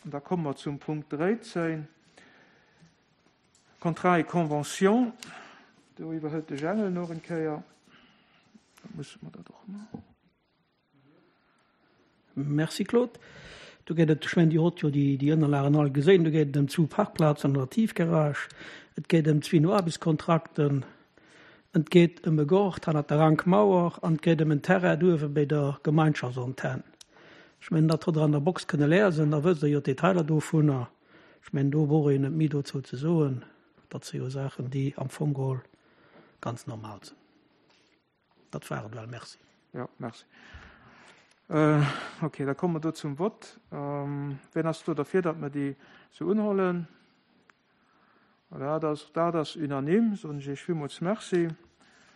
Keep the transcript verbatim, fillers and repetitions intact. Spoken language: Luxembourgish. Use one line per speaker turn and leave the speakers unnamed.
An da komme mer zum Punkt dräizéng, Contrat et convention. Do iwwerhëlt de Jangel nach eng Kéier. Da musse mer dat och maachen.
Merci Claude. Do geet et, ech mengen, Dir hutt jo déi, déi Ënnerlagen all gesinn, do geet et ëm zwou Parkplazen an der Tiefgarage, et geet ëm zwee Aarbechtskontrakten, et geet ëm e Gaart hannert der Rankmauer an et geet ëm en Terrain douewe bei der Gemeinschaftsantenn. Ech mengen, dat hutt Der an der Box kënne liesen, da wësst Der jo d'Detailer dovunner. Ech mengen, do brauch een net méi dozou ze soen. Dat si jo Saachen, déi am Fong geholl ganz normal sinn. Dat war et well. Merci.
Jo, merci. Äh, okay, da komme mer do zum Vott. Ähm, wien ass do derfir, datt mer déi sou unhuelen? Voilà, dat, dat ass unanime. Soen ech Iech villmools Merci.